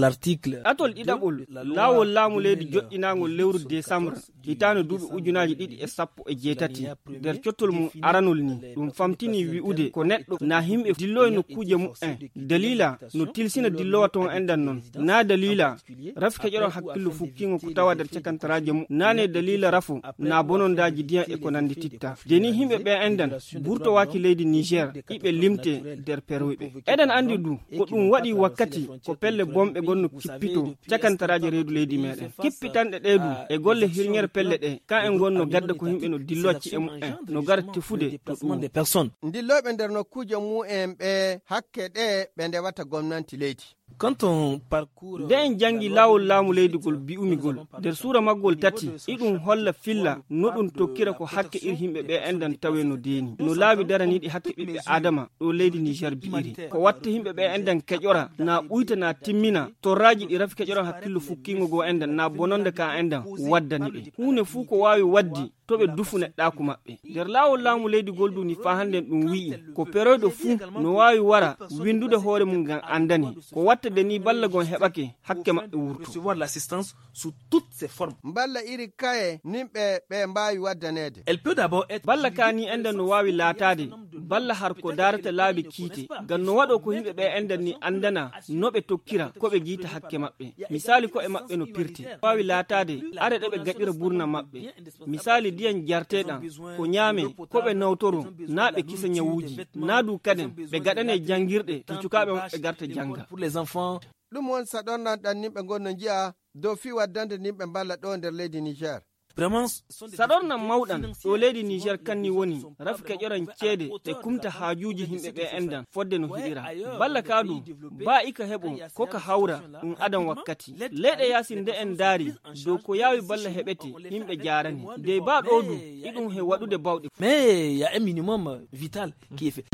l'article atol ɗiɗaɓol laawol laamu leydi joƴƴinagol lewru décembre hitande duuɓi ujunaji 2017 nder cottol mum aranol ni ɗum famtini wi'ude ko neɗɗo na himɓe dillo e nokkuje mu'en dalila no tilsina dillowa ton endan non na dalila rafi keƴoɗon hakkillo fukkingo ko tawa nder cakantaraje mum nane dalila rafu na bonondaji ndiyam e ko nandi titta deni himɓe ɓe endan burtowaki leydi Niger iɓe limte nder perwoyɓe eɗen andi du ko ɗum waɗi wakkati ko pelle bomɓe gonno kippito cakantaraje reedu leydi meɗen kippitanɗe ɗeedu e golle hirñere pelle ɗe ka en gonno gadda ko himɓe no dillocci e mu'en no gara tefude to ɗum des personnes dilloɓe nder nokkuje mu'en ɓe hakke ɗe ɓe ndewata gomnati leydi. Quand on parcourt nde en jangi laawol laamu leydigol bi'umigol nder suura maggol tati iɗum holla filla no ɗum tokkira ko hakke iri himɓe ɓe endan tawe no deeni no laabi daraniɗi hakke ɓiɓɓe adama ɗo leydi Niger bi'iri ko watta himɓe ɓe endan keƴora na ɓuyta na timmina torraji ɗi rafi keƴoran hakkillo fukkingo go endan na bononde ka endan waddani ɓe hunde fuu ko wawi waddi to ɓe dufu neɗɗaku maɓɓe nder laawol laamu leydigol duni fa hannden ɗum wi'i ko peroyɗo fuu no wawi wara windude hoore mum ngam andani ko watta de ni balla gon heɓake hakke maɓɓe wurto recevoir l'assistance sous toutes ses formes. Balla iri kaye nimɓe ɓe mbawi waddanede. Elle peut d'abord être balla ka ni endan no wawi laatade balla har ko darata laabi kiite ngam no waɗo ko yimɓe ɓe endan ni andana no ɓe tokkira ko ɓe jiita hakke maɓɓe misali ko e maɓɓe no pirte wawi laatade are ɗe ɓe gaɗira burna maɓɓe misali diyan jarteɗan ko ñaame ko ɓe nawtoro na ɓe kisa ñawuji na du kaden ɓe gaɗane jangirɗe to cukaɓe maɓɓe garta janga ɗum won saɗornan ɗan nimɓe gonno jiya dow fi waddande nimɓe balla ɗo nder leydi Niger. saɗornan mawɗan ɗo leydi Niger kanni woni rafi keƴoran ceede e kumta haajuji himɓe ɓe endan fodde no hiɗira balla kaadu ba ika heɓo ko ka hawra ɗum adan wakkati leyɗe yasi nde en daari dow ko yawi balla heɓete himɓe jarani dey ba ɗo du iɗum he waɗude bawɗe mais il y a un minimum vital qui est fait.